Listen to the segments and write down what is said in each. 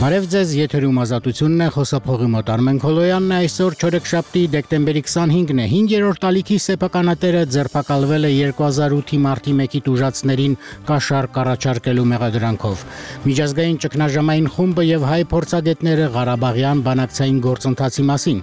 Բարև ձեզ, եթերում ազատությունն է, խոսափողի մոտ Արմեն Քոլոյանն է, այսօր չորեքշաբթի դեկտեմբերի 25-ն է, 5-րդ ալիքի սեփականատերը ձերբակալվել է 2008-ի մարտի 1-ի տուժածներին կաշառք առաջարկելու մեղադրանքով։ Միջազգային ճգնաժամային խումբը եւ հայ փորձագետները Ղարաբաղյան բանակցային գործընթացի մասին։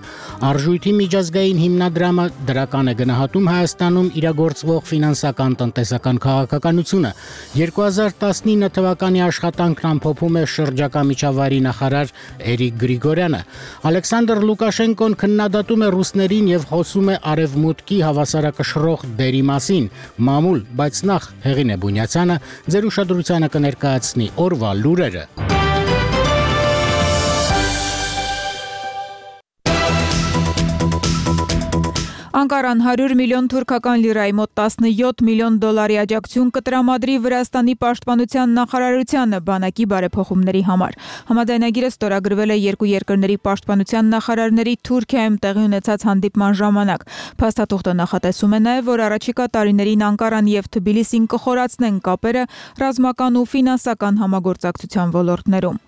Արժույթի միջազգային հիմնադրամը դրական է գնահատում Հայաստանում իրագործվող ֆինանսական տնտեսական քաղաքականությունը։ 2019 թվականի աշխատանքն ամփոփում է շրջակա միջավայրի նախարար Էրիկ Գրիգորյանը։ Ալեքսանդր Լուկաշենկոն քննադատում է ռուսներին եւ խոսում է արևմուտքի հավասարակշռող դերի մասին։ Մամուլ, բայց նախ Հեղինե Բունյացյանը ձեր ուշադրությանը կներկայացնի օրվա լուրերը։ Անկարան 100 միլիոն թուրքական լիրայի մոտ 17 միլիոն դոլարի աջակցություն կտրամադրի Վրաստանի պաշտպանության նախարարությանը բանակի բարեփոխումների համար։ Համաձայնագիրը ստորագրվել է երկու երկրների պաշտպանության նախարարների Թուրքիայում տեղի ունեցած հանդիպման ժամանակ։ Փաստաթուղթը նախատեսում է նաև, որ առաջիկա տարիներին Անկարան եւ Թբիլիսին կխորացնեն կապերը ռազմական ու ֆինանսական համագործակցության ոլորտներում։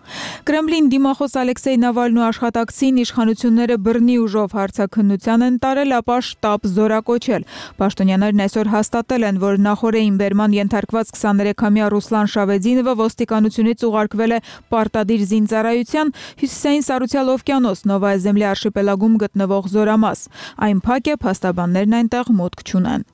Կրեմլին դիմախոս Ալեքսեյ Նավալնու աշխատակցին իշխանությունները բռնի ուժով հարցաքննության են տարել, ապա շտաբ զորակոչել։ Պաշտոնյաներն այսօր հաստատել են, որ նախորդին բերման ենթարկված 23-ամյա Ռուսլան Շավեդինովը ոստիկանությունից ուղարկվել է պարտադիր զինծառայության Հյուսիսային Սառուցյալ օվկիանոս Նովայա Զեմլյա արշիպելագում գտնվող զորամաս։ Այն փակ է, փաստաբաններն այնտեղ մուտք չունեն։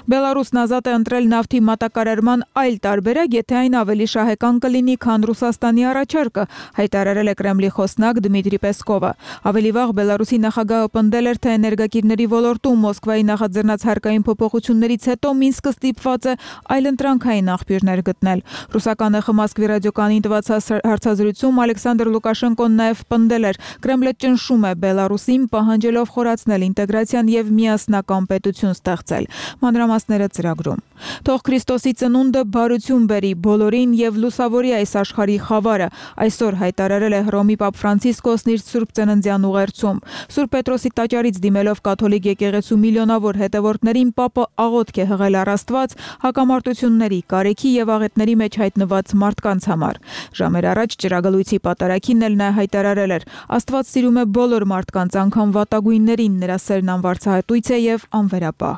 Բելարուսն ազատ է ընտրել նավթի մատակարարման այլ տարբերակ, եթե այն ավելի շահեկան կլինի, քան Ռուսաստանի առաջարկը, հայտարարել է Կրեմլի խոսնակ Դմիտրի Պեսկովը։ Ավելի վաղ Բելարուսի նախագահը պնդել էր, թե էներգակիրների ոլորտում Մոսկվայի նախաձեռնած հարկային փոփոխություններից հետո Մինսկը ստիպված է այլընտրանքային աղբյուրներ գտնել։ Ռուսական ԵԽ Մոսկվի ռադիոկայանին տված հարցազրույցում Ալեքսանդր Լուկաշենկոն նաև պնդել էր, Կրեմլը ճնշում է Բելարուսին, պահանջելով խորացնել ինտեգրացիան եւ միասնական պետություն ստեղծել։ Մանրամասները ծրագրում։ Թող Քրիստոսի ծնունդը բարություն բերի բոլորին եւ լուսավորի այս աշխարհի խավարը, այսօր հայտարարել է Հռոմի Պապ Ֆրանցիսկոսն իր Սուրբ Ծննդյան ուղերձում։ Սուրբ Պետրոսի տաճարից դիմելով կաթոլիկ եկեղեցու միլիոնավոր հետևորդներին Պապը աղոթք է հղել առ Աստված հակամարտությունների, կարեքի եւ աղետների մեջ հայտնված մարդկանց համար։ Ժամեր առաջ ճրագալույցի պատարագին էլ նա հայտարարել էր. Աստված սիրում է բոլոր մարդկանց, անգամ վատագույններին, նրա սերն անվարձահատույց է եւ անվերապահ։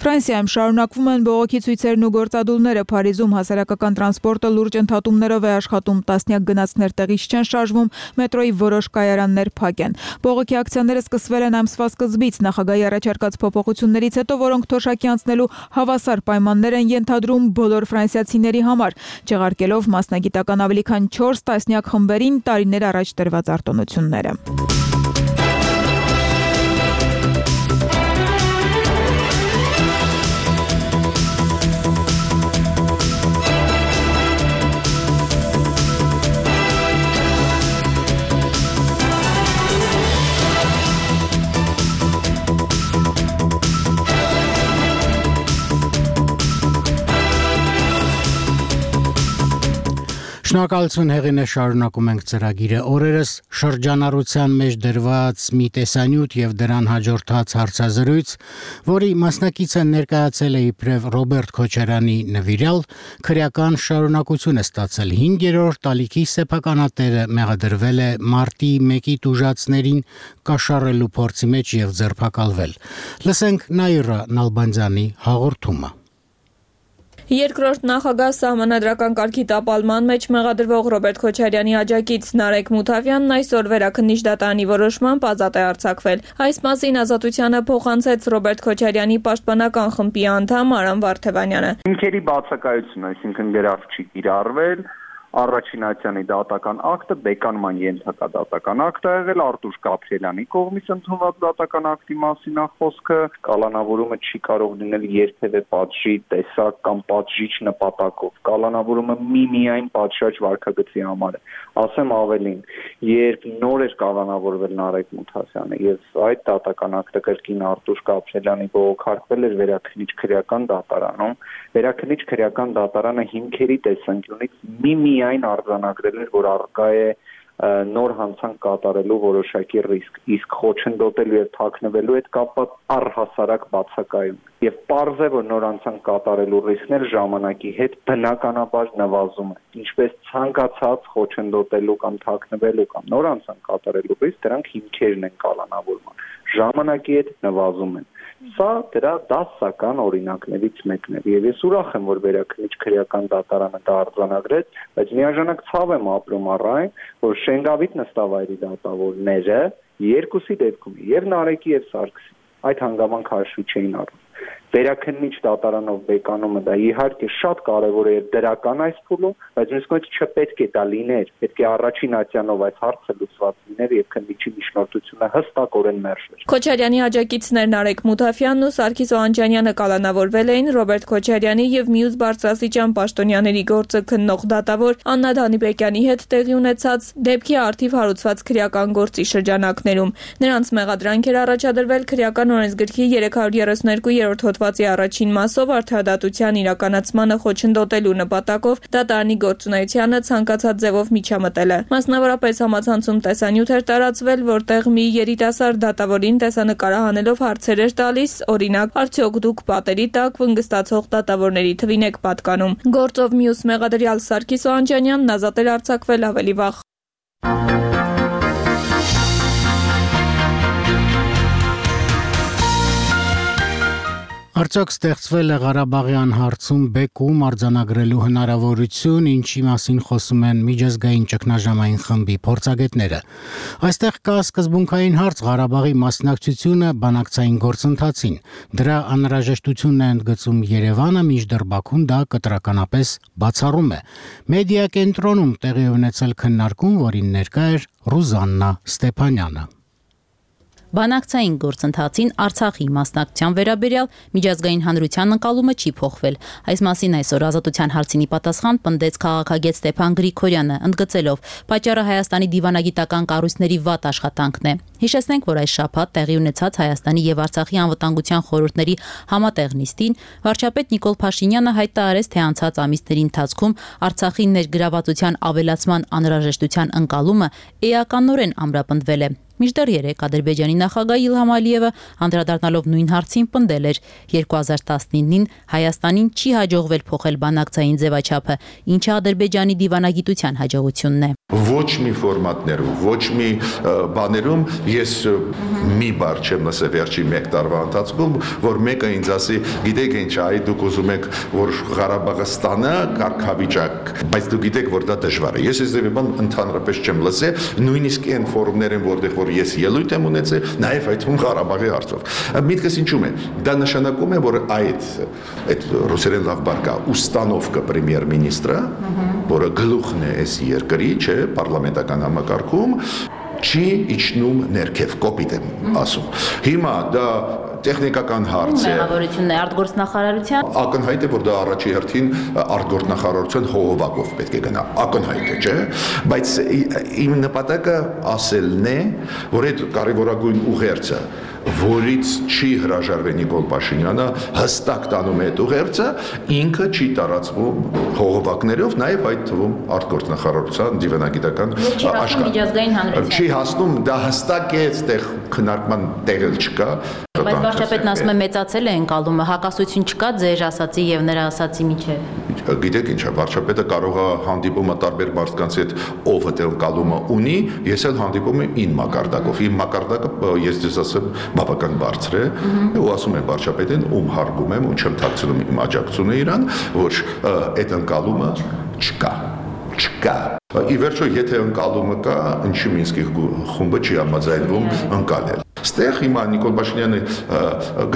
Ֆրանսիայում շարունակվում են բողոքի ցույցերն ու գործադուլները։ Փարիզում հասարակական տրանսպորտը լուրջ ընդհատումներով է աշխատում, տասնյակ գնացքներ տեղից չեն շարժվում, մետրոյի որոշ կայարաններ փակ են։ Բողոքի ակցիաները սկսվել են ամսվա սկզբից, նախագահի առաջարկած փոփոխություններից հետո, որոնք թոշակի անցնելու հավասար պայմաններ են ենթադրում բոլոր ֆրանսիացիների համար, չեղարկելով մասնագիտական ավելի քան 4 տասնյակ խմբերին տարիներ առաջ տրված արտոնությունները։ Շնորհակալություն Հեղինե, շարունակում ենք ծրագիրը։ Օրերս շրջանառության մեջ դրված մի տեսանյութ եւ դրան հաջորդած հարցազրույց, որի մասնակիցը ներկայացել է իբրև Ռոբերտ Քոչարյանի նվիրյալ, քրեական շարունակություն է ստացել։ 5-րդ ալիքի սեփականատերը մեղադրվել է մարտի 1-ի տուժածներին կաշառելու փորձի մեջ եւ ձերբակալվել։ Լսենք Նաիրա Նալբանդյանի հաղորդումը։ Երկրորդ նախագահ սահմանադրական կարգի տապալման մեջ մեղադրվող Ռոբերտ Քոչարյանի աջակից Նարեկ Մութավյանն այսօր վերաքննիչ դատարանի որոշմամբ ազատ է արձակվել։ Այս մասին Ազատությանը փոխանցեց Ռոբերտ Քոչարյանի պաշտպանական խմբի անդամ Արամ Վարդևանյանը։ Հիմքերի բացակայություն, այսինքն գրավ չի կիրառվել, առաջին ատյանի դատական ակտը բեկանման ենթակա դատական ակտ է եղել, Արտուշ Գաբրիելյանի կողմից ընդունված դատական ակտի մասին է խոսքը, կալանավորումը չի կարող լինել երբևէ պատժի տեսակ կամ պատժիչ նպատակով, կալանավորումը միայն պատշաճ վարքագծի համար է։ Ասեմ ավելին, երբ նոր էր կալանավորվել Նարեկ Մութավյանը եւ այդ դատական ակտը կրկին Արտուշ Գաբրիելյանի բողոքարկվել էր վերաքննիչ քրեական դատարանում, վերաքննիչ քրեական դատարանը հիմքերի տեսանկյունից միայն արձանագրել էր, որ առկա է նոր հանցանք կատարելու որոշակի ռիսկ, իսկ խոչընդոտելու եւ թաքնվելու հետ կապված առհասարակ բացակայում։ Եվ պարզ է, որ նոր հանցանք կատարելու ռիսկներ ժամանակի հետ բնականաբար նվազում են։ Ինչպես ցանկացած խոչընդոտելու կամ թաքնվելու կամ նոր հանցանք կատարելու ռիսկ, դրանք հիմքերն են կալանավորման։ Ժամանակի հետ նվազում են։ Սա դրա դասական օրինակներից մեկն է, եւ ես ուրախ եմ, որ Վերաքննիչ քրեական դատարանը դա արձանագրեց, բայց միաժամանակ ցավ եմ ապրում առայն, որ Շենգավիթ նստավայրի դատավորները երկուսի դեպքում, եւ Նարեկի եւ Սարգսի, այդ հանգամանքը հաշվի չէին առնում։ Վերաքննիչ դատարանով բեկանումը դա իհարկե շատ կարևոր է եւ դրական այս փուլում, բայց մյուս կողմից չպետք է դա լիներ, պետք է առաջին ատյանով այս հարցը լուծված լիներ եւ քննիչի միջնորդությունը հստակորեն մերժվեր։ Քոչարյանի աջակիցներ Նարեկ Մութաֆյանն ու Սարգիս Օհանջանյանը կալանավորվել էին Ռոբերտ Քոչարյանի եւ մյուս բարձրաստիճան պաշտոնյաների գործը քննող դատավոր Աննա Դանիբեկյանի հետ տեղի ունեցած դեպքի արդիվ հարուցված քրեական գործի շրջանակներում։ Նրանց մեղադրանք էր առաջադրվել քրեական օրենսգրքի 332-րդ հոդվածի առաջին մասով արդարադատության իրականացմանը խոչընդոտելու նպատակով դատարանի գործունեությանը ցանկացած ձևով միջամտելը։ Մասնավորապես համացանցում տեսանյութ էր տարածվել, որտեղ մի երիտասարդ դատավորին տեսանկարահանելով հարցեր էր տալիս, օրինակ, արդյոք դուք պատերի տակ վնգստացող դատավորների թվին եք պատկանում։ Գործով մյուս մեղադրյալ Սարգիս Օհանջանյանն ազատ էր արձակվել ավելի վաղ։ Արդյոք ստեղծվել է Ղարաբաղյան հարցում բեկում արձանագրելու հնարավորություն, ինչի մասին խոսում են միջազգային ճգնաժամային խմբի փորձագետները։ Այստեղ կա սկզբունքային հարց Ղարաբաղի մասնակցությունը բանակցային գործընթացին։ Դրա անհրաժեշտությունն է ընդգծում Երևանը, մինչդեռ Բաքուն դա կտրականապես բացառում է։ Մեդիա կենտրոնում տեղի ունեցել քննարկում, որին ներկա էր Ռուզաննա Ստեփանյանը։ Բանակցային գործընթացին Արցախի մասնակցության վերաբերյալ միջազգային հանրության ընկալումը չի փոխվել։ Այս մասին այսօր Ազատության հարցինի պատասխան պնդեց քաղաքագետ Ստեփան Գրիգորյանը, ընդգծելով, պատճառը Հայաստանի դիվանագիտական կառույցների վատ աշխատանքն է։ Հիշեցնենք, որ այս շաբաթ տեղի ունեցած Հայաստանի եւ Արցախի անվտանգության խորհուրդների համատեղ նիստին վարչապետ Նիկոլ Փաշինյանը հայտարարեց, թե անցած ամիսների ընթացքում Արցախի ներգրավվածության ավելացման անհրաժեշտության ընկալումը էականորեն ամրապնդվել է։ Մինչդեռ երեկ Ադրբեջանի նախագահ Իլհամ Ալիևը անդրադառնալով նույն հարցին պնդել էր 2019-ին Հայաստանին չի հաջողվել փոխել բանակցային ձևաչափը, ինչը Ադրբեջանի դիվանագիտության հաջողությունն է։ Ոչ մի ֆորմատներում, ոչ մի բաներում ես մի բառ չեմ լսել վերջի 1 տարվա ընթացքում, որ մեկը ինձ ասի, գիտեք ինչ, այ դուք ուզում եք, որ Ղարաբաղը ստանա կարգավիճակ, բայց դուք գիտեք, որ դա դժվար է։ Ես այս բան ընդհանրապես չեմ լսել, նույնիսկ այն ֆորումներում, որտեղ որ ես ելույթ եմ ունեցել, նաև այդ Ղարաբաղի հարցով։ Միտքս ինչու՞մ է։ Դա նշանակում է, որ այդ ռուսերեն լավ բառ կա, ուստանովկա պրեմիեր-մինիստրը, որը գլուխն է այս երկրի, չէ, պարլամենտական համակարգում, չի իջնում ներքև, կոպիտ եմ ասում։ Հիմա դա տեխնիկական հարց է։ Մեղավորությունն է արտգործնախարարության։ Ակնհայտ է, որ դա առաջի հերթին արտգործնախարարության հողովակով պետք է գնա։ Ակնհայտ է, չէ՞։ Բայց իմ նպատակը ասելն է, որ այդ կարևորագույն ուղերձը, որից չի հրաժարվել Նիկոլ Փաշինյանը, հստակ տանում է այդ ուղերձը, ինքը չի տարածվում հողովակներով, նաև այդ թվում արտգործնախարարության դիվանագիտական աշխատանք։ Չի հասնում, դա հստակ է, այդտեղ քննարկման տեղ չկա։ Բայց վարչապետն ասում է մեծացել է ընկալումը, հակասություն չկա ձեր ասացի եւ նրա ասացի միջեւ։ Գիտեք ինչ է, վարչապետը կարող է հանդիպումը տարբեր մարդկանց հետ ով այդ ընկալումը ունի, ես էլ հանդիպում եմ ին մակարդակով։ Իմ մակարդակը ես ձեզ ասեմ բավական բարձր է, ու ասում եմ վարչապետին, ում հարգում եմ ու չեմ թաքցնում իմ աջակցությունը իրան, որ այդ ընկալումը չկա։ Ի վերջո, եթե ընկալումը կա, ինչի Մինսկի խումբը չի համաձայնվում ընկալել։ Ստեղ հիմա Նիկոլ Փաշինյանի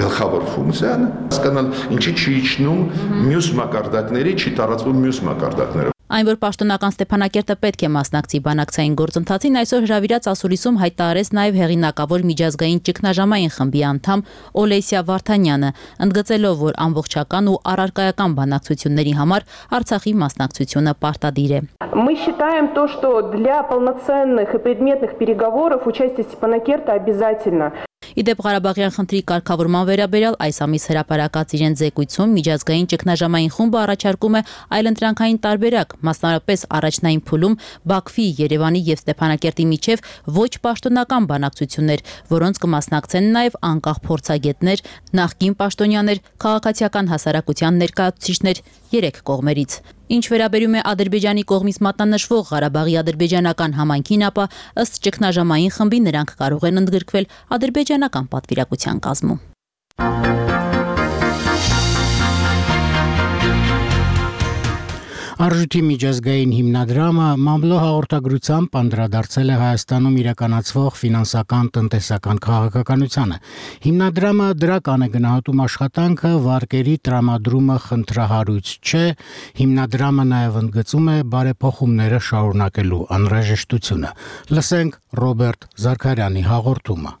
գլխավոր ֆունկցիան հասկանալ ինչի չի իջնում մյուս մակարդակների, չի տարածվում մյուս մակարդակները։ Այն, որ պաշտոնական Ստեփանակերտը պետք է մասնակցի բանակցային գործընթացին, այսօր հրավիրած ասուլիսում հայտարարեց նաև հեղինակավոր միջազգային ճգնաժամային խմբի անդամ Օլեսիա Վարդանյանը, ընդգծելով, որ ամբողջական ու առարկայական բանակցությունների համար Արցախի մասնակցությունը պարտադիր է։ Мы считаем то, что для полноценных и предметных переговоров участие Степанакерта обязательно. Իդեպ Ղարաբաղյան խնդրի կարգավորման վերաբերյալ այս ամիս հրապարակած իրեն զեկույցում միջազգային ճգնաժամային խումբը առաջարկում է այլընտրանքային տարբերակ, մասնավորապես առաջնային փուլում Բաքվի, Երևանի եւ Ստեփանակերտի միջև ոչ պաշտոնական բանակցություններ, որոնց կմասնակցեն նաեւ անկախ փորձագետներ, նախկին պաշտոնյաներ, քաղաքացիական հասարակության ներկայացուցիչներ 3 կողմերից։ Ինչ վերաբերում է Ադրբեջանի կողմից մատնանշվող Ղարաբաղի ադրբեջանական համայնքին, ապա ըստ ճգնաժամային խմբի նրանք կարող են ընդգրկվել ադրբեջանական պատվիրակության կազմում։ Արժույթի միջազգային հիմնադրամը մամլո հաղորդագրությամբ անդրադարձել է Հայաստանում իրականացվող ֆինանսական տնտեսական քաղաքականությանը։ Հիմնադրամը դրական է գնահատում աշխատանքը, վարկերի տրամադրումը խնդրահարույց չէ, հիմնադրամը նաև ընդգծում է բարեփոխումները շարունակելու անհրաժեշտությունը։ Լսենք Ռոբերտ Զարքարյանի հաղորդումը։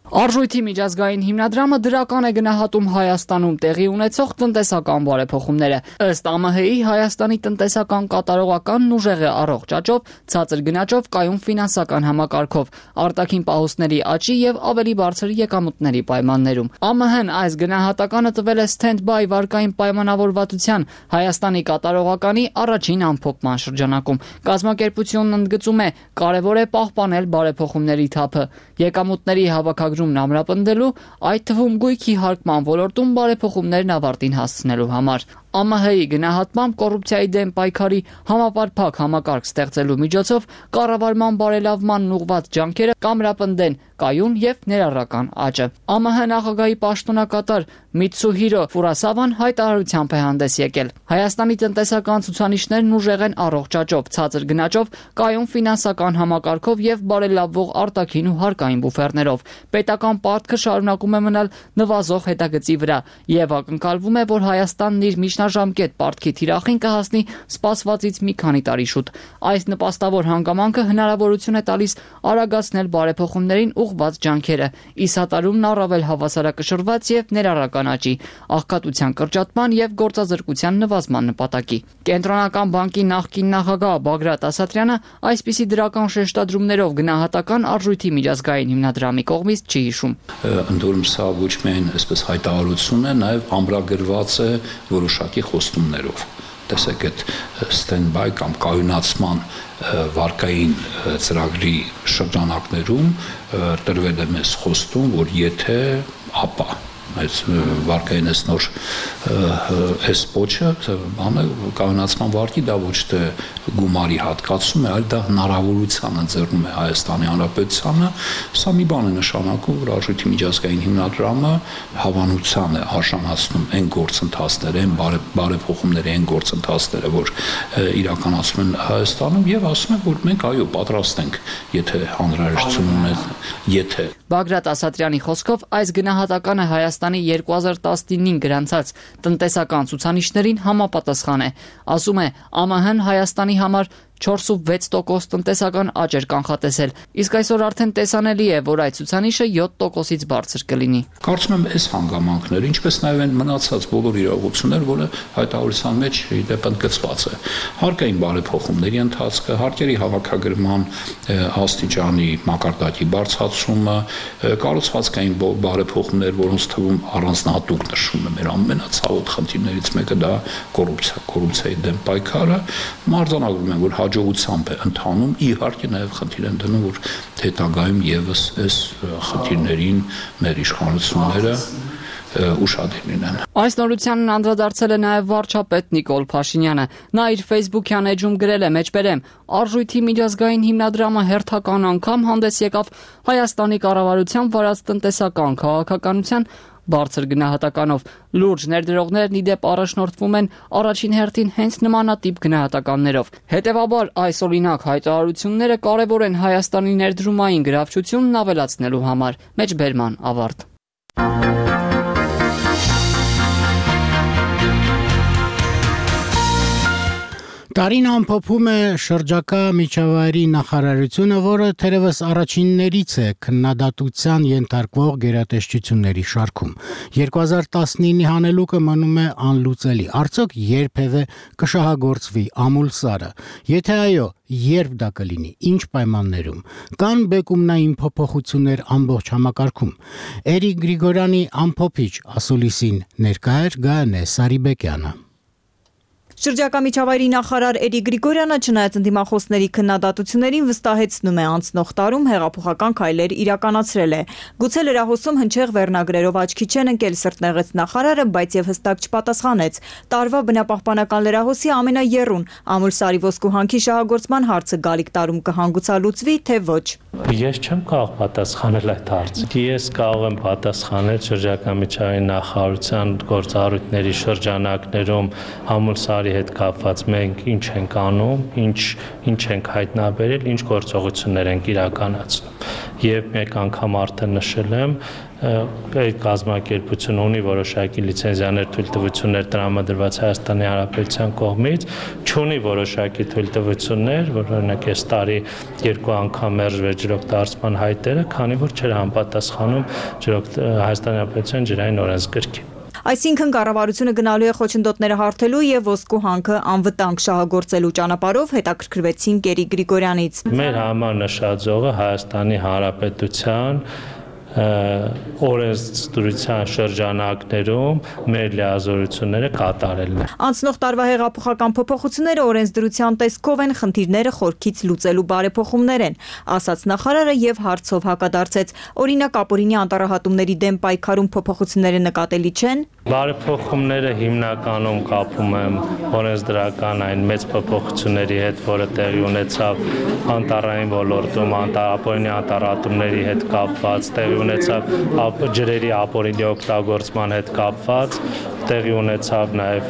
Արժույթի միջազգային հիմնադրամը դրական է գնահատում Հայաստանում տեղի ունեցող տնտեսական բարեփոխումները։ Ըստ ԱՄՀ-ի Հայաստանի տնտեսական կատարողականն ուժեղ է առողջ աճով, ցածր գնաճով, կայուն ֆինանսական համակարգով, արտաքին պահուստների աճի եւ ավելի բարձր եկամուտների պայմաններում։ ԱՄՀ-ն այս գնահատականը տվել է stand-by վարկային պայմանավորվածության Հայաստանի կատարողականի առաջին ամփոփման շրջանակում։ Կազմակերպությունն ընդգծում է, կարևոր է պահպանել բարեփոխումների թափը, եկամուտների հավաքագրումն ամրապնդելու, այդ թվում գույքի հարկման ոլորտում բարեփոխումներն ավարտին հասցնելու համար։ ԱՄՀ-ի գնահատմամբ կոռուպցիայի դեմ պայքարի համապարփակ համակարգ ստեղծելու միջոցով կառավարման բարելավմանն ուղղված ջանքերը կամրապնդեն կայուն եւ ներառական աճը։ ԱՄՀ նախագահի պաշտոնակատար Միցուհիրո Ֆուրասավան հայտարարությամբ է հանդես եկել։ Հայաստանի տնտեսական ցուցանիշներն ուժեղ են առողջ աճով, ցածր գնաճով, կայուն ֆինանսական համակարգով եւ բարելավվող արտաքին ու հարկային բուֆերներով։ Պետական պարտքը շարունակում է մնալ նվազող հետագծի վրա եւ ակնկալվում է, որ Հայաստանն իր միջնաժամկետ պարտքի թիրախին կհասնի սպասվածից մի քանի տարի շուտ։ Այս նպաստավոր հանգամանքը հնարավորություն է տալիս արագացնել բարեփոխումներին ուղղված ջանքերը, ի սատարումն առավել հավասարակշռված եւ ներառական աճի, աղքատության կրճատման եւ գործազրկության նվազման նպատակի։ Կենտրոնական բանկի նախկին նախագահ Բագրատ Ասատրյանը այսպիսի դրական շեշտադրումներով գնահատական արժույթի միջազգային հիմնադրամի կողմից չի հիշում։ Ընդորում սա ոչ միայն այսպես հայտարարություն է, նաեւ ամրագրված է որոշակի խոստումներով։ Տեսեք, այդ stand-by կամ կայունացման վարկային ծրագրի շրջանակներում տրվել է մեզ խոստում, որ եթե ապա այս վարկային այս նոր այս փոչը բանը կայունացման վարկի դա ոչ թե գումարի հատկացում է, այլ դա հնարավորության ընձեռում է Հայաստանի Հանրապետությանը։ Սա մի բան է նշանակում, որ արժույթի միջազգային հիմնադրամը հավանության է արժանացնում այն գործընթացները, այն բարեփոխումների այն գործընթացները, որ իրականացում են Հայաստանում եւ ասում են, որ մենք այո պատրաստ ենք, եթե անհրաժեշտություն ունենք, եթե Բագրատ Ասատրյանի խոսքով այս գնահատականը Հայաստանի 2019-ին գրանցած տնտեսական ցուցանիշներին համապատասխան է։ Ասում է, ԱՄՀ-ն Հայաստանի համար 4.6% տնտեսական աճ էր կանխատեսել, իսկ այսօր արդեն տեսանելի է, որ այդ ցուցանիշը 7%-ից բարձր կլինի։ Կարծում եմ, այս հանգամանքները, ինչպես նաև այն մնացած բոլոր իրողությունները, որը հայտարարության մեջ իդեպ ընդգծված է, հարկային բարեփոխումների ընթացքը, հարկերի հավաքագրման աստիճանի մակարդակի բարձրացումը, կառուցվածքային բարեփոխումներ, որոնց թվում առանձնահատուկ նշվում է մեր ամենացավոտ խնդիրներից մեկը դա կոռուպցիայի դեմ պայքարը, մարտանագրում են, որ հաջողությամբ է ընթանում, իհարկե նաև խնդիր են դնում, որ հետագայում եւս այս խնդիրներին մեր իշխանությունները ուշադիր լինեն։ Այս նորությանն անդրադարձել է նաև վարչապետ Նիկոլ Փաշինյանը։ Նա իր Facebook-յան էջում գրել է. «Մեջբերեմ, արժույթի միջազգային հիմնադրամը հերթական անգամ հանդես եկավ Հայաստանի կառավարության վարած տնտեսական քաղաքականության բարձր գնահատականով։ Լուրջ ներդրողներն իդեպ առաջնորդվում են առաջին հերթին հենց նմանատիպ գնահատականներով։ Հետևաբար այս օրինակ հայտարարությունները կարևոր են Հայաստանի ներդրումային գրավչությունն ավելացնելու համար»։ Մեջբերման ավարտ։ Տարին ամփոփում է շրջակա միջավայրի նախարարությունը, որը թերևս առաջիններից է քննադատության ենթարկվող գերատեսչությունների շարքում։ 2019-ի հանելուկը մնում է անլուծելի։ Արդյոք երբևէ կշահագործվի ամուլսարը։ Եթե այո, երբ դա կլինի, ինչ պայմաններում։ Կան բեկումնային փոփոխություններ ամբողջ համակարգում։ Էրիկ Գրիգորյանի ամփոփիչ ասուլիսին ներկա էր Գայանե Սարիբեկյանը։ Շրջակա միջավայրի նախարար Էրիկ Գրիգորյանը չնայած ընդդիմախոսների քննադատություններին վստահեցնում է անցնող տարում հեղափոխական քայլեր իրականացրել է։ Գուցե լրահոսում հնչեղ վերնագրերով աչքի չեն ընկել սրտնեղեց նախարարը, բայց եւ հստակ չպատասխանեց։ Տարվա բնապահպանական լրահոսի ամենաեռուն ամուլսարի ոսկու հանքի շահագործման հարցը գալիք տարում կհանգուցալուծվի, թե ոչ։ Ես չեմ կարող պատասխանել այդ հարցը։ Ես կարող եմ պատասխանել շրջակա միջավայրի նախարարության գործառույթների շրջանակներում ամուլսարի հետ կապված մենք ինչ ենք անում, ինչ ենք հայտնաբերել, ինչ գործողություններ ենք իրականացնում։ Եվ մեկ անգամ արդեն նշել եմ, այդ կազմակերպությունը ունի որոշակի լիցենզիաներ, թույլտվություններ տրամադրված Հայաստանի Հանրապետության կողմից, չունի որոշակի թույլտվություններ, որ օրինակ այս տարի 2 անգամ մերժվեց ջրօգտագործման հայտերը, քանի որ չէր համապատասխանում Հայաստանի Հանրապետության ջրային օրենսգրքին։ Այսինքն կառավարությունը գնալու է խոչընդոտները հարթելու եւ ոսկու հանքը անվտանգ շահագործելու ճանապարհով, հետաքրքրվեցին Էրիկ Գրիգորյանից։ Մեր համար նշաձողը Հայաստանի Հանրապետության օրենսդրության շրջանակներում մեր լիազորությունները կատարելն է։ Անցնող տարվա հեղափոխական փոփոխությունները օրենսդրության տեսքով են, խնդիրները խորքից լուծելու բարեփոխումներ են, ասաց նախարարը եւ հարցով հակադարձեց։ Օրինակ ապօրինի անտառահատումների դեմ պայքարում փոփոխությունները նկատելի չեն։ Բարեփոխումները հիմնականում կապում եմ օրենսդրական այն մեծ փոփոխությունների հետ, որը տեղի ունեցավ անտառային ոլորտում, ապօրինի անտառահատումների հետ կապված, տեղի ունեցավ ջրերի ապօրինի օգտագործման հետ կապված, տեղի ունեցավ նաև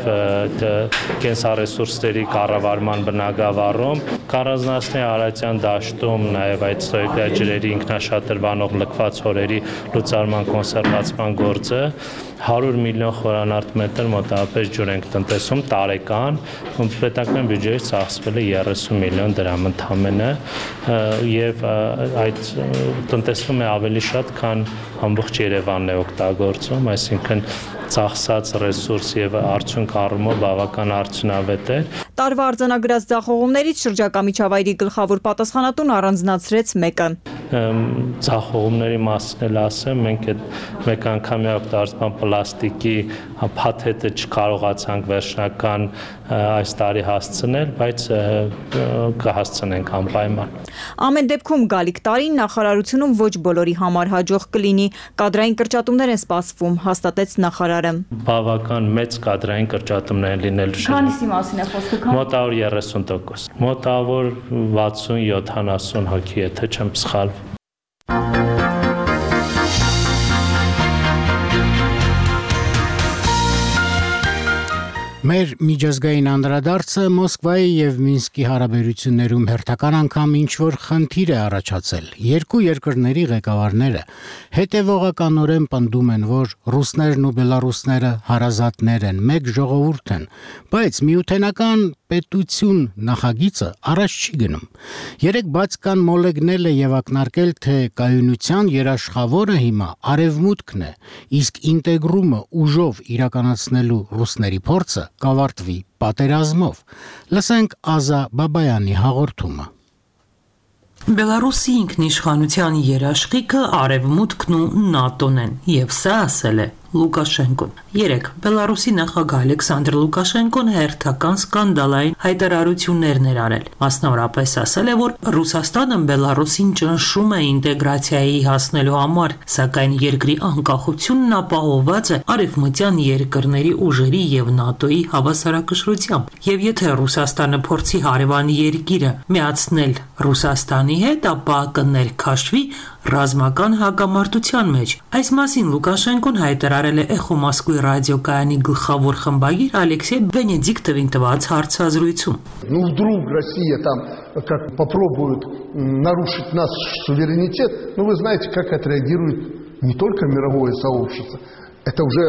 կենսառեսուրսների կառավարման բնագավառում, Կառանձնացնի Արարատյան դաշտում նաև այդ ստոյկա ջրերի ինքնաշատրվանող լքված հորերի լուծարման կոնսերվացման գործը 100 միլիոն խորանարդ մետր մոտավորապես ջուր ենք տնտեսում տարեկան, պետական բյուջեից ծախսվել է 30 միլիոն դրամ ընդամենը եւ այդ տնտեսվում է ավելի շատ, քան ամբողջ Երևանն է օգտագործում, այսինքն ծախսած ռեսուրս եւ արդյունք առումով բավական արդյունավետ է։ Տարվա արձանագրած ձախողումներից շրջակա միջավայրի գլխավոր պատասխանատուն առանձնացրեց մեկը։ Ձախողումների մասին էլ ասեմ, մենք այդ մեկ անգամյա օգտագործման պլաստիկի փաթեթը չկարողացանք վերջնական այս տարի հասցնել, բայց կհասցնենք անպայման։ Ամեն դեպքում գալիք տարին նախարարությունում ոչ բոլորի համար հաջող կլինի, կադրային կրճատումներ են սպասվում, հաստատեց նախարարը։ Բավական մեծ կադրային կրճատումներ են լինելու։ Քանիսի մասին է խոսքը։ Մոտավոր 30%, մոտավոր 60-70 հոգի, եթե չեմ սխալվում։ Մեր միջազգային անդրադարձը Մոսկվայի եւ Մինսկի հարաբերություններում հերթական անգամ ինչ-որ խնդիր է առաջացել։ Երկու երկրների ղեկավարները հետևողականորեն պնդում են, որ ռուսներն ու բելարուսները հարազատներ են, մեկ ժողովուրդ են, բայց միութենական պետություն նախագիծը առաջ չի գնում։ Երեք բաց կան մոլեգնել է եւ ակնարկել, թե կայունության երաշխավորը հիմա արևմուտքն է, իսկ ինտեգրումը ուժով իրականացնելու ռուսների փորձը կավարտվի պատերազմով։ Լսենք Ազա Բաբայանի հաղորդումը։ Բելարուսի ինքնիշխանության երաշխիքը արևմուտքն ու ՆԱՏՕ-ն են, եւ սա ասել է Լուկաշենկոն։ Երեք Բելարուսի նախագահ Ալեքսանդր Լուկաշենկոն հերթական սկանդալային հայտարարություններ էր արել։ Մասնավորապես ասել է, որ Ռուսաստանը Բելարուսին ճնշում է ինտեգրացիայի հասնելու համար, սակայն երկրի անկախությունն ապահովված է արևմտյան երկրների ուժերի եւ ՆԱՏՕ-ի հավասարակշռությամբ։ Եվ եթե Ռուսաստանը փորձի հարևան երկիրը միացնել Ռուսաստանի հետ, ապա կներքաշվի ռազմական հակամարտության մեջ։ Այս մասին Լուկաշենկոն հայտարարել է Էխո Մոսկվի ռադիոկայանի գլխավոր խմբագիր Ալեքսեյ Վենեդիկտովին տված հարցազրույցում։ Ну вдруг Россия там как попробует нарушить наш суверенитет, ну вы знаете, как отреагирует не только мировое сообщество. Это уже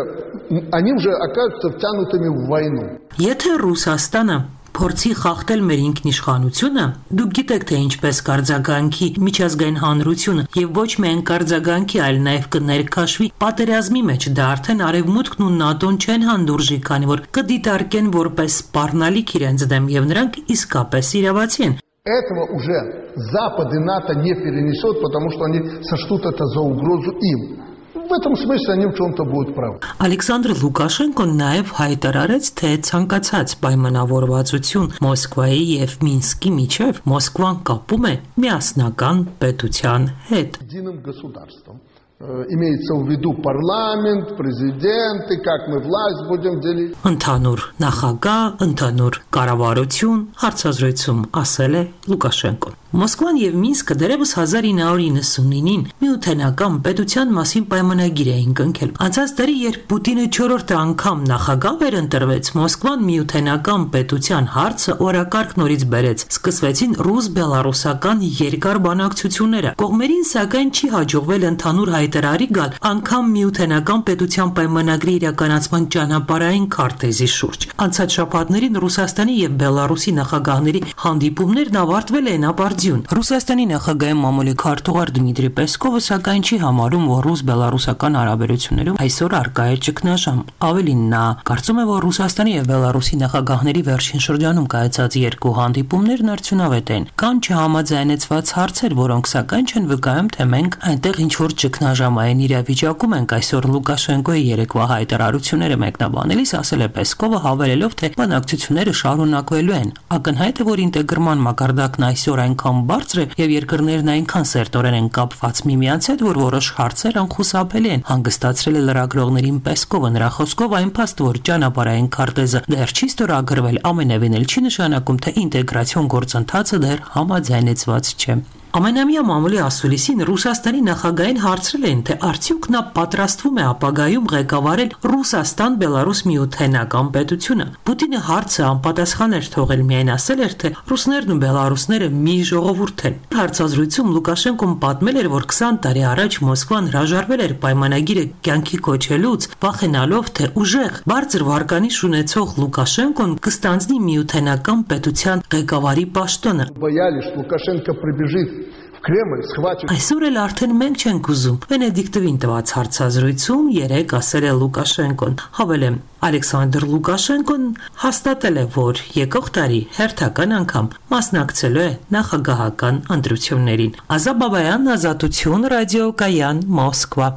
они уже окажутся втянутыми в войну. Եթե Ռուսաստանը փորձի խախտել մեր ինքնիշխանությունը, դուք գիտեք, թե ինչպես կարձագանքի միջազգային հանրությունը եւ ոչ միայն կարձագանքի, այլ նաեւ կներքաշվի պատերազմի մեջ, դա արդեն Արևմուտքն ու ՆԱՏՕ-ն չեն հանդուրժի, քանի որ կդիտարկեն որպես սպառնալիք իրենց դեմ եւ նրանք իսկապես իրավացի են։ Этого уже Запад и НАТО не перенесут, потому что они сочтут это за угрозу им. В этом смысле они в чем-то будут правы. Ալեքսանդր Լուկաշենկոն նաև հայտարարեց, թե ցանկացած պայմանավորվածություն Մոսկվայի եւ Մինսկի միջև Մոսկվան կապում է միասնական պետության հետ։ Единым государством. Имеется в виду парламент, президент, и как мы власть будем делить. Ընդհանուր նախագահ, ընդհանուր կառավարություն, հարցազրույցում ասել է Լուկաշենկոն։ Մոսկվան եւ Մինսկը դեռևս 1999-ին միութենական պետության մասին պայմանագիր էին կնքել։ Անցած տարի, երբ Պուտինը 4-րդ անգամ նախագահ վերընտրվեց, Մոսկվան միութենական պետության հարցը օրակարգ նորից բերեց։ Սկսվեցին ռուս-բելարուսական երկար բանակցությունները։ Կողմերին սակայն չի հաջողվել ընդհանուր հայտարարի գալ անգամ միութենական պետության պայմանագրի իրականացման ճանապարհային քարտեզի շուրջ։ Անցած շաբաթներին Ռուսաստանի եւ Բելարուսի նախագահների հանդիպումներն ավարտվել են ապարդյուն։ Ռուսաստանի նախագահի մամուլի քարտուղար Դմիտրի Պեսկովը սակայն չի համարում, որ ռուս-բելարուսական հարաբերություններում այսօր առկա է ճգնաժամ։ Ավելին, նա կարծում է, որ Ռուսաստանի եւ Բելարուսի նախագահների վերջին շրջանում կայացած երկու հանդիպումներն արդյունավետ են։ Կան չհամաձայնեցված հարցեր, որոնք սակայն չեն վկայում, թե մենք այնտեղ ինչ-որ ճգնաժամային իրավիճակում ենք։ Այսօր Լուկաշենկոյի երեկվա հայտարարությունները մեկնաբանելիս ասել է Պեսկովը, հավելելով, թե բանակցությունները շարունակվելու են։ Ակնհայտ է, որ ինտեգրման մակարդակն այսօր այնքան բարձր է եւ երկրներն այնքան սերտորեն են կապված միմյանց հետ, որ որոշ հարցեր անխուսափելի են, հանգստացրել է լրագրողներին Պեսկովը։ Նրա խոսքով այն փաստ, որ ճանապարհային քարտեզը դեռ չի ստորագրվել, ամենևին էլ չի նշանակում, թե ինտեգրացիոն գործընթացը դեռ համաձայնեցված չէ։ Ամենամյա մամուլի ասուլիսին Ռուսաստանի նախագահին հարցրել են, թե արդյոք նա պատրաստվում է ապագայում ղեկավարել Ռուսաստան-Բելարուս միութենական պետությունը։ Պուտինը հարցը անպատասխան էր թողել, միայն ասել էր, թե ռուսներն ու բելարուսները մի ժողովուրդ են։ Հարցազրույցում Լուկաշենկոն պատմել էր, որ 20 տարի առաջ Մոսկվան հրաժարվել էր պայմանագիրը կյանքի կոչելուց, վախենալով, թե ուժեղ բարձր վարկանիշ ունեցող Լուկաշենկոն կստանձնի միութենական պետության ղեկավարի պաշտոնը։ Боялись, что Лукашенко прибежит в Кремль, схватит. Այսօր էլ արդեն մենք չենք ուզում։ Վենեդիկտովին տված հարցազրույցում երեք ասել է Լուկաշենկոն։ Հավելեմ, Ալեքսանդր Լուկաշենկոն հաստատել է, որ եկող տարի հերթական անգամ մասնակցելու է նախագահական ընտրություններին։ Ազատ Բաբայան, Ազատություն, ռադիոկայան, Մոսկվա։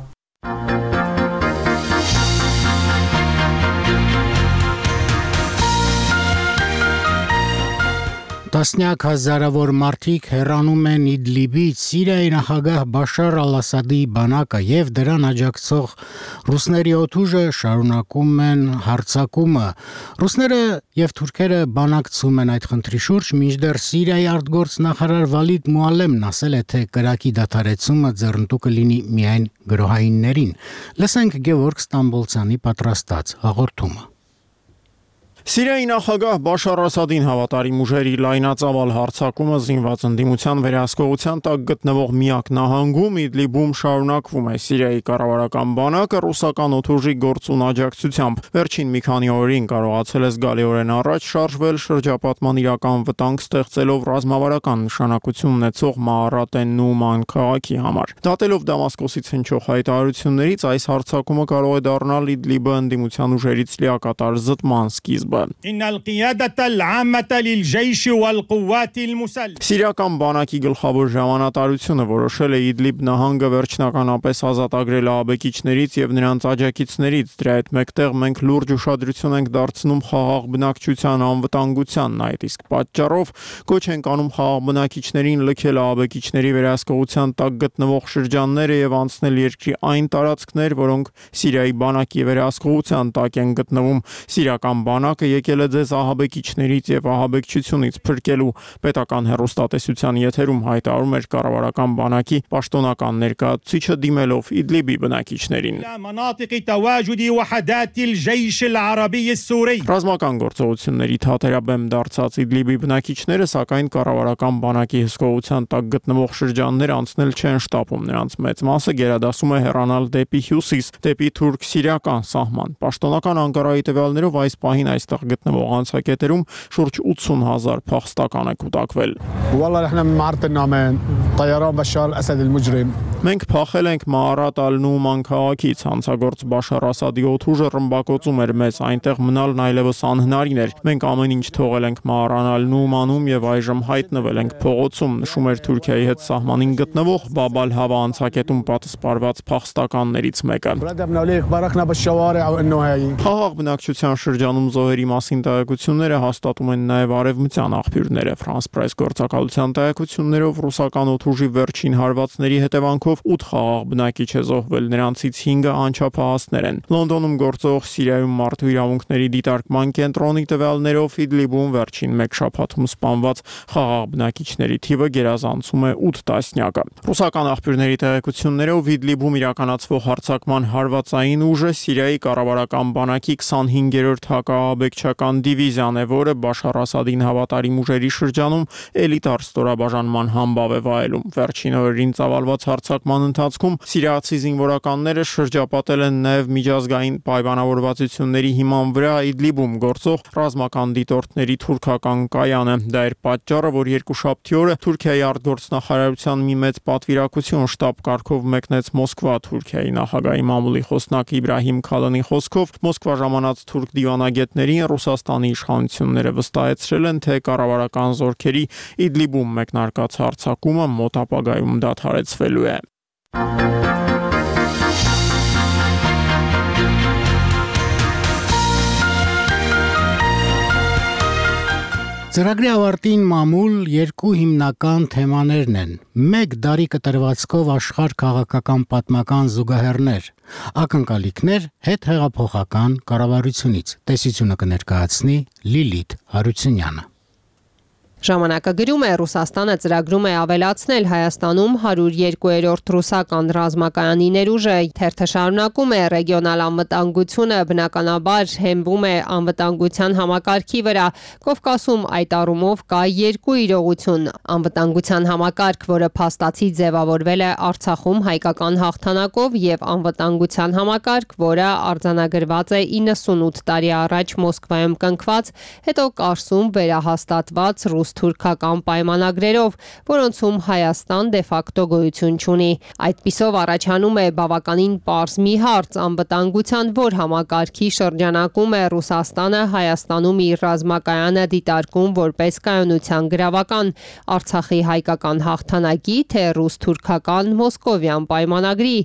Տասնյակ հազարավոր մարդիկ հեռանում են Իդլիբից Սիրիայի նախագահ Բաշար Ալ-Ասադի բանակը եւ դրան աջակցող ռուսների օդուժը շարունակում են հարձակումը։ Ռուսները եւ թուրքերը բանակցում են այդ խնդրի շուրջ, մինչդեռ Սիրիայի արտգործնախարար Վալիդ Մուալեմն ասել է, թե կրակի դադարեցումը ձեռնտու կլինի միայն գրոհայիններին։ Լսենք Գևորգ Ստամբոլցյանի պատրաստած հաղորդումը։ Սիրիայի նախագահ Բաշար Ասադին հավատարիմ ուժերի լայնածավալ հարձակումը զինված ընդդիմության վերահսկողության տակ գտնվող միակ նահանգում Իդլիբում շարունակվում է։ Սիրիայի կառավարական բանակը ռուսական օդուժի գործուն աջակցությամբ վերջին մի քանի օրերին կարողացել է զգալիորեն առաջ շարժվել շրջապատման իրական վտանգ ստեղծելով ռազմավարական նշանակություն ունեցող Մաարատեն Նուման քաղաքի համար։ Դատելով Դամասկոսից հնչող հայտարարություններից, այս հարձակումը կարող է դառնալ Իդլիբը ընդդիմության ուժերից լիակատար զտման սկիզբ։ Սիրիական բանակի գլխավոր ժամանատարությունը որոշել է Իդլիբ նահանգը վերջնականապես ազատագրել ահաբեկիչներից եւ նրանց աջակիցներից։ Դրա հետ մեկտեղ մենք լուրջ ուշադրություն ենք դարձնում խաղաղ բնակչության անվտանգությանն, այդ իսկ պատճառով կոչ ենք անում խաղաղ բնակիչներին լքել ահաբեկիչների վերահսկողության տակ գտնվող շրջանները եւ անցնել երկրի այն տարածքներ, որոնք Սիրիայի բանակի վերահսկողության տակ են գտնվում։ Սիրիական բանակը եկել է ձեզ ահաբեկիչներից եւ ահաբեկչությունից փրկելու, պետական հեռուստատեսության եթերում հայտարարում էր կառավարական բանակի պաշտոնական ներկայացուցիչը դիմելով Իդլիբի բնակիչներին։ Ռազմական գործողությունների թատերաբեմ դարձած Իդլիբի բնակիչները սակայն կառավարական բանակի հսկողության տակ գտնվող շրջաններ անցնել չեն շտապում, նրանց մեծ մասը գերադասում է հեռանալ դեպի հյուսիս, դեպի թուրք-սիրիական սահման։ Պաշտոնական Անկարայի տվյալներով այս պահին այս այստեղ գտնվող անցակետերում շուրջ 80,000 փախստական է կուտակվել։ Մենք փախել ենք Մաարատ ալ-Նուման քաղաքից, հանցագործ Բաշար Ասադի օդուժը ռմբակոծում էր մեզ, այնտեղ մնալն այլևս անհնարին էր։ Մենք ամեն ինչ թողել ենք Մաարան ալ-Նումանում եւ այժմ հայտնվել ենք փողոցում, նշում էր Թուրքիայի հետ սահմանին գտնվող Բաբ ալ-Հավա անցակետում պատսպարված փախստականներից մեկը։ Խաղաղ բնակչության շրջանում զոհերի մասին տեղեկությունները հաստատում են նաեւ արևմտյան աղբյուրները։ France Press գործակալության տեղեկություններով ռուսական օդուժի վերջին հարվածների հետևանքով 8 խաղաղ բնակիչ է զոհվել, նրանցից 5-ը անչափահասներ են։ Լոնդոնում գործող Սիրիայում մարդու իրավունքների դիտարկման կենտրոնի տվյալներով Իդլիբում վերջին 1 շաբաթում սպանված խաղաղ բնակիչների թիվը գերազանցում է 8 տասնյակը։ Ռուսական աղբյուրների տեղեկություններով Իդլիբում իրականացվող հարձակման հարվածային ուժը Սիրիայի կառավարական բանակի 25-րդ հակաահաբեկչական դիվիզիան է, որը Բաշար Ասադին հավատարիմ ուժերի շրջանում էլիտար ստորաբաժանման համբավ է վայելում։ Վերջին օրերին ծավալված հարձակման ընթացքում սիրիացի զինվորականները շրջապատել են նաև միջազգային պայմանավորվածությունների հիման վրա Իդլիբում գործող ռազմական դիտորդների թուրքական կայանը։ Դա էր պատճառը, որ երկուշաբթի օրը Թուրքիայի արտգործնախարարության մի մեծ պատվիրակություն շտաբ կարգով մեկնեց Մոսկվա։ Թուրքիայի նախագահի մամուլի խոսնակ Իբրահիմ Քալանի խոսքով Մոսկվա ժամանած թուրք դիվանագետներին Ռուսաստանի իշխանությունները վստահեցրել են, թե կառավարական զորքերի Իդլիբում մեկնարկած հարձակումը մոտ ապագայում դադարեցվելու է։ Ծրագրի ավարտին մամուլ երկու հիմնական թեմաներն են. մեկ դարի կտրվածքով աշխարհ քաղաքական պատմական զուգահեռներ, ակնկալիքներ հետհեղափոխական կառավարությունից։ Տեսությունը կներկայացնի Լիլիթ Հարությունյանը։ Ժամանակը գրում է Ռուսաստանը ծրագրում է ավելացնել Հայաստանում 102-րդ ռուսական ռազմակայանի ներուժը։ Թերթը շարունակում է ռեգիոնալ անվտանգությունը բնականաբար հենվում է անվտանգության համակարգի վրա։ Կովկասում այդ առումով կա երկու իրողություն. անվտանգության համակարգ, որը փաստացի ձևավորվել է Արցախում հայկական հաղթանակով, եւ անվտանգության համակարգ, որը արձանագրված է 98 տարի առաջ Մոսկվայում կնքված, հետո Կարսում վերահաստատված ռուս-թուրքական պայմանագրերով, որոնցում Հայաստան դե ֆակտո գոյություն չունի։ Այդպիսով առաջանում է բավականին պարզ մի հարց անվտանգության, որ համակարգի շրջանակում է Ռուսաստանը Հայաստանում իր ռազմակայանը դիտարկում որպես կայունության գրավական, Արցախի հայկական հաղթանակի, թե ռուս-թուրքական մոսկովյան պայմանագրի։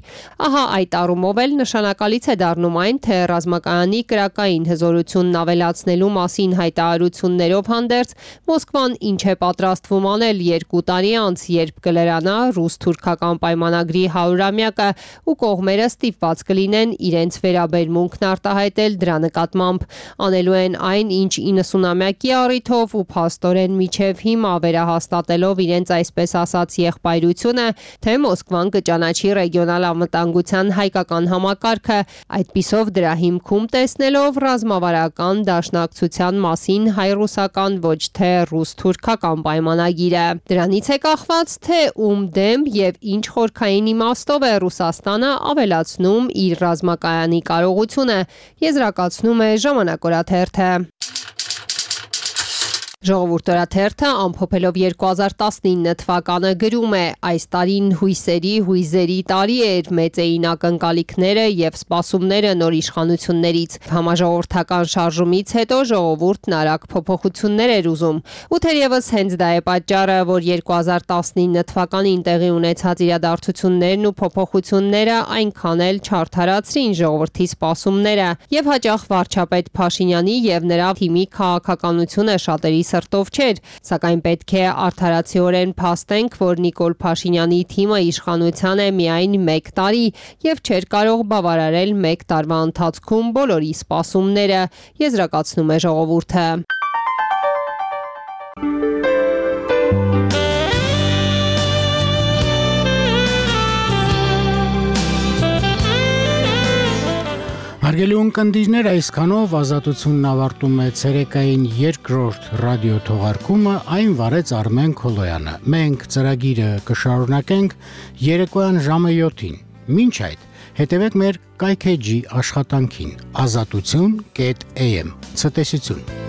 Ահա այդ առումով էլ նշանակալից է դառնում այն, թե ռազմակայանի կրակային հզորությունն ավելացնելու մասին հայտարարություններով հանդերձ Մոսկվան ինչ է պատրաստվում անել 2 տարի անց, երբ կլրանա ռուս-թուրքական պայմանագրի 100-ամյակը ու կողմերը ստիպված կլինեն իրենց վերաբերմունքն արտահայտել դրա նկատմամբ։ Անելու են այն, ինչ 90-ամյակի առիթով ու փաստորեն միջև հիմա վերահաստատելով իրենց այսպես ասած եղբայրությունը, թե Մոսկվան կճանաչի ռեգիոնալ անվտանգության հայկական համակարգը, այդպիսով դրա հիմքում տեսնելով ռազմավարական դաշնակցության մասին հայ-ռուսական ոչ թե ռուս-թուրքական պայմանագիրը։ Դրանից է կախված, թե ում դեմ եւ ինչ խորքային իմաստով է Ռուսաստանը ավելացնում իր ռազմակայանի կարողությունը, եզրակացնում է Ժամանակ օրաթերթը։ Ժողովուրդ օրաթերթը ամփոփելով 2019 թվականը գրում է. այս տարին հույզերի տարի էր, մեծ էին ակնկալիքները եւ սպասումները նոր իշխանություններից։ Համաժողովրդական շարժումից հետո ժողովուրդն արագ փոփոխություններ էր ուզում։ Ու թերևս հենց դա է պատճառը, որ 2019 թվականին տեղի ունեցած իրադարձություններն ու փոփոխությունները այնքան էլ չարդարացրին ժողովրդի սպասումները եւ հաճախ վարչապետ Փաշինյանի եւ նրա թիմի քաղաքականությունը շատերի սրտով չէր, սակայն պետք է արդարացիորեն փաստենք, որ Նիկոլ Փաշինյանի թիմը իշխանության է միայն 1 տարի եւ չէր կարող բավարարել 1 տարվա ընթացքում բոլորի սպասումները, եզրակացնում է ժողովուրդը։ Հարգելի ունկնդիրներ, այսքանով Ազատությունն ավարտում է ցերեկային երկրորդ ռադիո թողարկումը, այն վարեց Արմեն Քոլոյանը։ Մենք ծրագիրը կշարունակենք երեկոյան ժամը 7-ին։ Մինչ այդ հետևեք մեր կայքեջի աշխատանքին azatutsun.am ցտեսություն